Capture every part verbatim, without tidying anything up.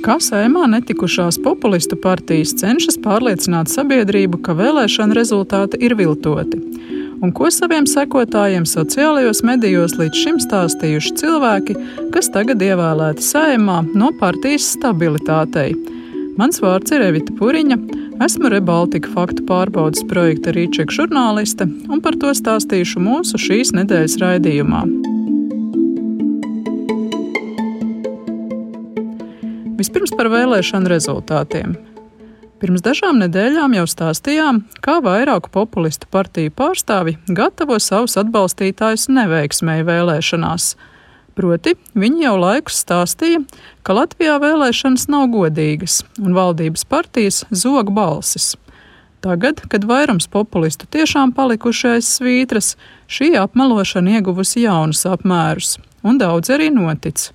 Kā Saeimā netikušās populistu partijas cenšas pārliecināt sabiedrību, ka vēlēšana rezultāti ir viltoti? Un ko saviem sekotājiem sociālajos medijos līdz šim stāstījuši cilvēki, kas tagad ievēlēti Saeimā no partijas stabilitātei? Mans vārds ir Evita Puriņa, esmu Rebaltika faktu pārbaudes projekta Rīček žurnāliste un par to stāstīšu mūsu šīs nedēļas raidījumā. Vispirms par vēlēšanu rezultātiem. Pirms dažām nedēļām jau stāstījām, kā vairāku populistu partiju pārstāvi gatavo savus atbalstītājus neveiksmēji vēlēšanās. Proti, viņi jau laikus stāstīja, ka Latvijā vēlēšanas nav godīgas un valdības partijas zog balsis. Tagad, kad vairums populistu tiešām palikuši aiz svītras, šī apmelošana ieguvusi jaunus apmērus, un daudz arī notic.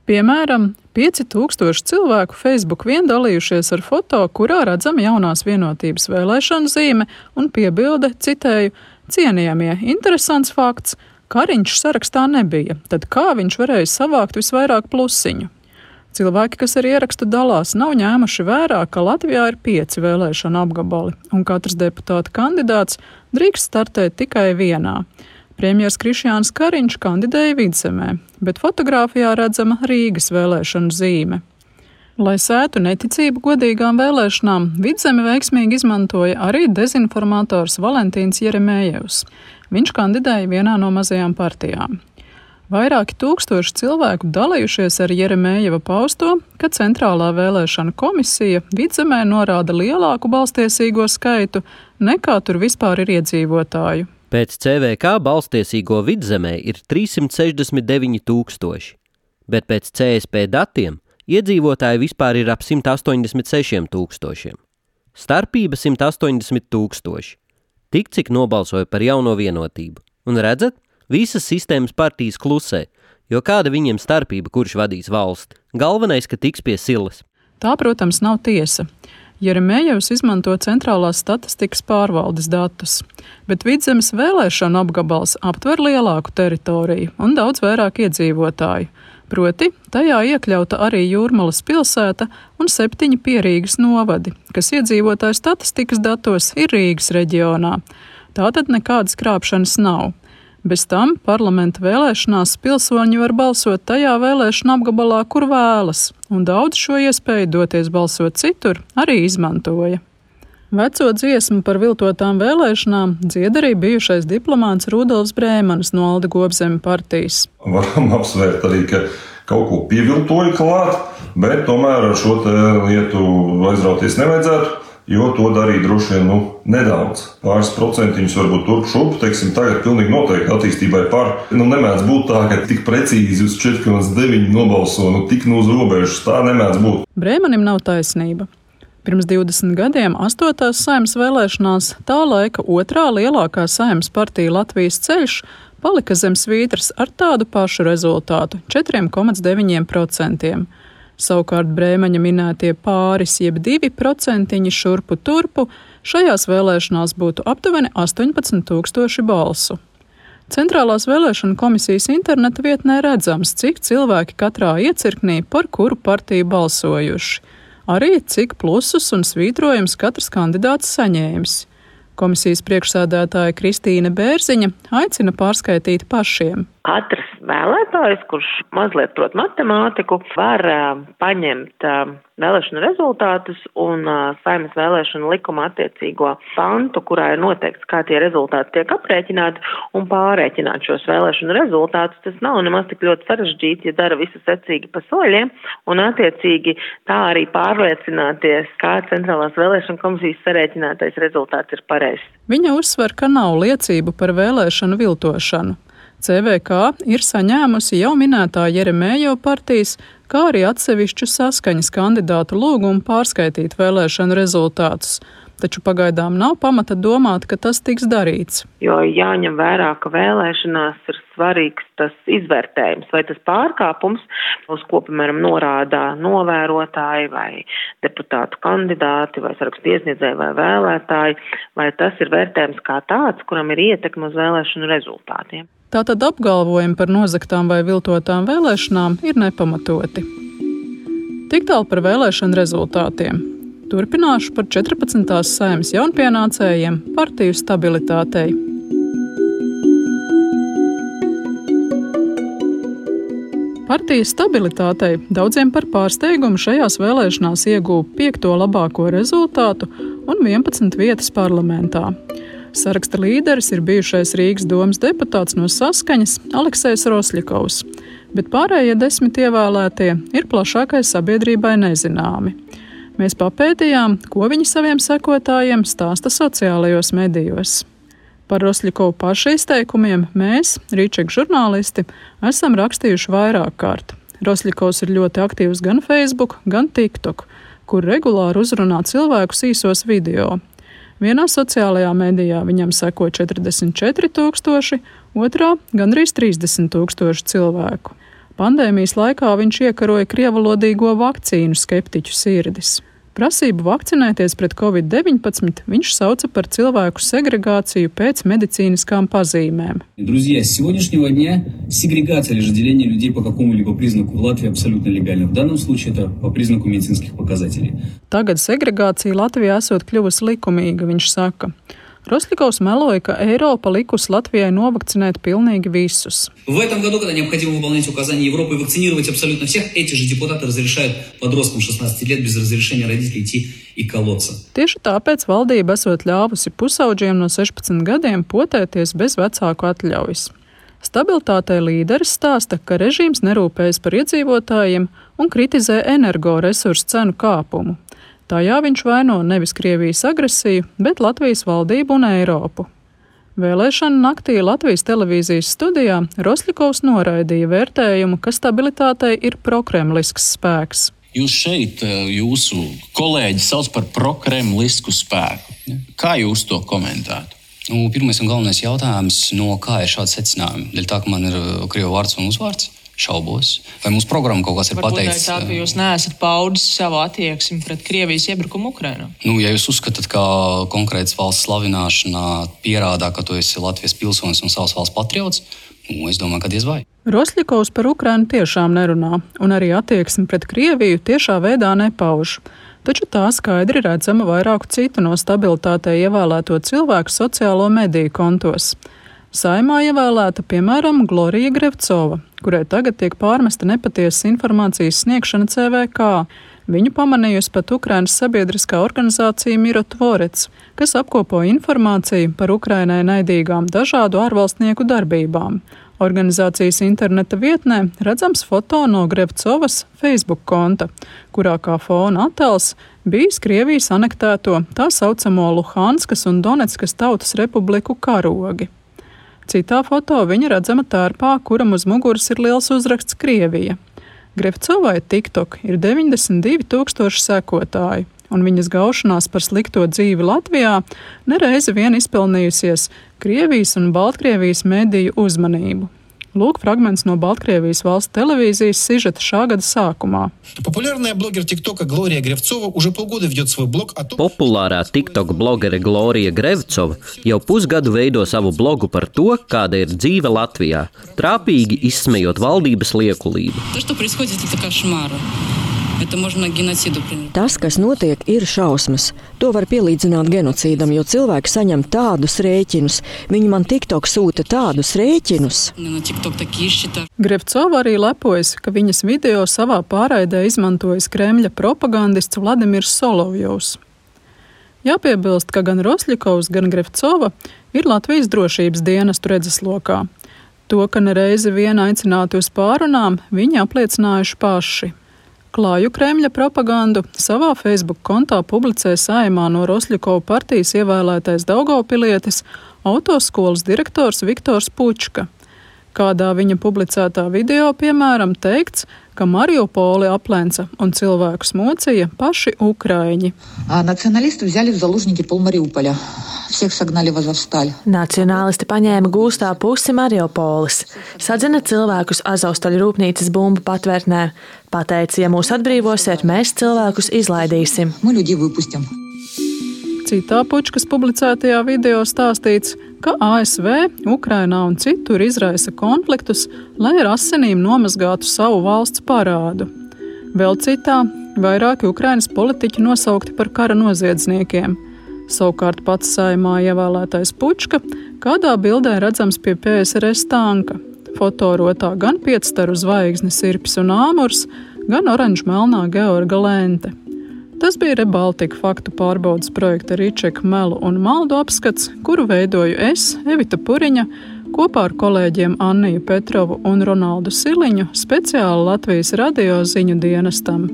Piemēram, pieci tūkstoši cilvēku Facebook vien dalījušies ar foto, kurā redzama jaunās vienotības vēlēšanu zīme un piebilde, citēju, cienījamie, interesants fakts, Kariņš sarakstā nebija, tad kā viņš varēja savākt visvairāk plusiņu? Cilvēki, kas ar ierakstu dalās, nav ņēmuši vērā, ka Latvijā ir pieci vēlēšana apgabali, un katrs deputāta kandidāts drīkst startēt tikai vienā. Premjers Krišjāns Kariņš kandidēja Vidzemē, bet fotogrāfijā redzama Rīgas vēlēšanu zīme. Lai sētu neticību godīgām vēlēšanām, Vidzemi veiksmīgi izmantoja arī dezinformators Valentīns Jeremējevs. Viņš kandidēja vienā no mazajām partijām. Vairāki tūkstoši cilvēku dalījušies ar Jeremējeva pausto, ka Centrālā vēlēšana komisija Vidzemē norāda lielāku balstiesīgo skaitu, nekā tur vispār ir iedzīvotāju. Pēc C V K balstiesīgo Vidzemē ir trīssimt sešdesmit deviņi tūkstoši, bet pēc C S P datiem iedzīvotāji vispār ir ap simt astoņdesmit sešiem tūkstošiem. Starpība simt astoņdesmit tūkstoši. Tik cik nobalsoja par jauno vienotību. Un redzat, visas sistēmas partijas klusē, jo kāda viņiem starpība, kurš vadīs valsti. Galvenais, ka tiks pie silas. Tā, protams, nav tiesa. Jeremējevs izmanto centrālās statistikas pārvaldes datus, bet Vidzemes vēlēšanu apgabals aptver lielāku teritoriju un daudz vairāk iedzīvotāju. Proti, tajā iekļauta arī Jūrmalas pilsēta un septiņi Pierīgas novadi, kas iedzīvotāju statistikas datos ir Rīgas reģionā. Tātad nekādas krāpšanas nav. Bez tam parlamenta vēlēšanās pilsoņi var balsot tajā vēlēšana apgabalā, kur vēlas, un daudz šo iespēju doties balsot citur arī izmantoja. Veco dziesmu par viltotām vēlēšanām dzied arī bijušais diplomāts Rudolfs Brēmanis no Alda Gobzeme partijas. Varam apsvērt arī, ka kaut ko pieviltoja klāt, bet tomēr ar šo lietu aizrauties nevajadzētu. Jo to darīja droši vien nu, nedaudz. Pāris procentiņus varbūt turp šup, teiksim, tagad pilnīgi noteikti attīstībai par. Nu, nemēdz būt tā, ka tik precīzi uz četri komats deviņi nobalso, nu tik nu uz robežas, tā nemēdz būt. Brēmanim nav taisnība. Pirms divdesmit gadiem astotās Saeimas vēlēšanās tā laika otrā lielākā Saeimas partija Latvijas ceļš palika zem svītras ar tādu pašu rezultātu - četri komats deviņi procenti. Savukārt Brēmaņa minētie pāris jeb divi procentiņi šurpu turpu šajās vēlēšanās būtu aptuveni astoņpadsmit tūkstoši balsu. Centrālās vēlēšana komisijas interneta vietnē redzams, cik cilvēki katrā iecirknī par kuru partiju balsojuši. Arī cik plusus un svītrojums katrs kandidāts saņēmis. Komisijas priekšsēdētāja Kristīne Bērziņa aicina pārskaitīt pašiem. Katrs vēlētājs, kurš mazliet prot matemātiku, var uh, paņemt uh, vēlēšanu rezultātus un uh, Saeimas vēlēšanu likuma attiecīgo pantu, kurā ir noteikts, kā tie rezultāti tiek aprēķināti, un pārēķināt šos vēlēšanu rezultātus. Tas nav nemaz tik ļoti sarežģīti, ja dara visu secīgi pa soļiem, un attiecīgi tā arī pārliecināties, kā Centrālās vēlēšana komisijas sarēķinātais rezultāts ir pareizs. Viņa uzsver, ka nav liecību par vēlēšanu viltošanu. C V K ir saņēmusi jau minētā Jeremējeva partijas, kā arī atsevišķu saskaņas kandidātu lūgumu pārskaitīt vēlēšanu rezultātus. Taču pagaidām nav pamata domāt, ka tas tiks darīts. Jo jāņem vērā, ka vēlēšanās ir svarīgs tas izvērtējums, vai tas pārkāpums, uz ko, piemēram, norādā novērotāji vai deputātu kandidāti vai sarakstu iesniedzēji vai vēlētāji, vai tas ir vērtējums kā tāds, kuram ir ietekme uz vēlēšanu rezultātiem. Tātad apgalvojumi par nozaktām vai viltotām vēlēšanām ir nepamatoti. Tik tālu par vēlēšanu rezultātiem. Turpināšu par četrpadsmitās Saeimas jaunpienācējiem partiju stabilitātei. Partijas stabilitātei daudziem par pārsteigumu šajās vēlēšanās ieguva piekto labāko rezultātu un vienpadsmit vietas parlamentā. Saraksta līderis ir bijušais Rīgas domas deputāts no Saskaņas Aleksejs Rosļikovs, bet pārējie desmit ievēlētie ir plašākai sabiedrībai nezināmi. Mēs papētījām, ko viņi saviem sekotājiem stāsta sociālajos medijos. Par Rosļikovu paša izteikumiem mēs, Rīčeka žurnālisti, esam rakstījuši vairāk kārt. Rosļikovs ir ļoti aktīvs gan Facebook, gan TikTok, kur regulāri uzrunā cilvēkus īsos video. Vienā sociālajā medijā viņam seko četrdesmit četri tūkstoši, otrā gandrīz trīsdesmit tūkstoši cilvēku. Pandēmijas laikā viņš iekaroja krievalodīgo vakcīnu skeptiķu sirdis. Prasību vakcinēties pret covid deviņpadsmit viņš sauca par cilvēku segregāciju pēc medicīniskām pazīmēm. Друзья, с сегодняшнего дня сегрегация или же деление людей по какому-либо признаку в Латвии абсолютно легально. В данном случае это по признаку медицинских показателей. Tagad segregācija Latvijā esot kļuvusi likumīga, viņš saka. Rosļikovs meloja, ka Eiropa likusi Latvijai novakcinēt pilnīgi visus. В этом году, когда необходимо выполнять указания Европы и вакцинировать абсолютно всех, эти же депутаты разрешают подросткам шестнадцати лет без разрешения родителей идти и колоться. Tieši tāpēc valdība esot ļāvusi pusauģiem no sešpadsmit gadiem potēties bez vecāku atļaujas. Stabilitātei līderis stāsta, ka režīms nerūpējas par iedzīvotājiem un kritizē energoresursu cenu kāpumu. Tajā viņš vaino nevis Krievijas agresiju, bet Latvijas valdību un Eiropu. Vēlēšana naktī Latvijas televīzijas studijā Rosļikovs noraidīja vērtējumu, ka stabilitātei ir prokremlisks spēks. Jūs šeit, jūsu kolēģi sauc par prokremlisku spēku. Kā jūs to komentētu? Nu, pirmais un galvenais jautājums, no kā ir šāds secinājumi? Dēļ tā, ka man ir krievu vārds un uzvārds? Šaubos. Vai mūsu programma kaut kas ir Varbūt pateikts? Varbūt tā, ka jūs neesat paudis savu attieksmi pret Krievijas iebrukumu Ukrainā. Nu, ja jūs uzskatāt, ka konkrētas valsts slavināšanā pierādā, ka tu esi Latvijas pilsonis un savas valsts patriots, nu, es domāju, ka diez vai. Rosļikovs par Ukrainu tiešām nerunā, un arī attieksmi pret Krieviju tiešā veidā nepauž. Taču tā skaidri redzama vairāku citu no stabilitātei ievēlēto cilvēku sociālo mediju kontos. Saeimā ievēlēta, piemēram, Glorija Grevcova, kurai tagad tiek pārmesta nepatiesas informācijas sniegšana C V K. Viņu pamanījusi pat Ukrainas sabiedriskā organizācija Miro Tvorets, kas apkopo informāciju par Ukrainai naidīgām dažādu ārvalstnieku darbībām. Organizācijas interneta vietnē redzams foto no Grevcovas Facebook konta, kurā kā fona attēls bijis Krievijas anektēto tā saucamo Luhanskas un Donetskas tautas republiku karogi. Citā foto viņa redzama tērpā, kuram uz muguras ir liels uzraksts Krievija. Grevcovai TikTok ir deviņdesmit divi tūkstoši sekotāju, un viņas gaušanās par slikto dzīvi Latvijā nereizi vien izpelnījusies Krievijas un Baltkrievijas mediju uzmanību. Lūk fragments no Baltkrievijas valsts televīzijas sižeta šā gada sākumā. Populārā TikTok blogere Glorija Grevcova jau pusgadu veido savu blogu par to, kāda ir dzīve Latvijā, trāpīgi izsmejot valdības liekulību. Tas, kas notiek, ir šausmas. To var pielīdzināt genocīdam, jo cilvēki saņem tādus rēķinus. Viņi man TikTok sūta tādus rēķinus. Grevcova arī lepojas, ka viņas video savā pārraidē izmantojas Kremļa propagandists Vladimirs Solovjovs. Jāpiebilst, ka gan Rosļikovs, gan Grevcova ir Latvijas drošības dienestu redzeslokā. To, ka nereizi vien aicināti uz pārunām, viņi apliecinājuši paši. Klāju Kremļa propagandu savā Facebook kontā publicē Saeimā no Rosļikova partijas ievēlētais Daugavpilietis, autoskolas direktors Viktors Pučka. Kādā viņa publicētā video, piemēram, teikts, ka Mariupoli aplenca un cilvēkus mocīja paši ukraiņi. Nacionālisti взяли в заложники пол Мариуполя. Всех согнали в Азовсталь. Nacionālisti paņēma gūstā pusi Mariupolis, sadzina cilvēkus Azovstaļu rūpnīcas bumbu patvērtnē. Pateica, ja mūs atbrīvosiet, mēs cilvēkus izlaidīsim. Мы людей выпустим. Citā Pučkas publicētajā video stāstīts, ka A S V Ukrainā un citur izraisa konfliktus, lai ar asinīm nomazgātu savu valsts parādu. Vēl citā Vairāki Ukrainas politiķi nosaukti par kara noziedzniekiem. Savukārt pats Saeimā ievēlētais Pučka kādā bildē redzams pie P S R S tanka. Fotorotā gan piecstaru zvaigznes Sirpis un āmurs, gan oranžmelnā Georga lente. Tas bija Rebaltika faktu pārbaudas projekta Ričeka melu un maldu apskats, kuru veidoju es, Evita Puriņa, kopā ar kolēģiem Anniju Petrovu un Ronaldu Siliņu speciāli Latvijas radio ziņu dienestam.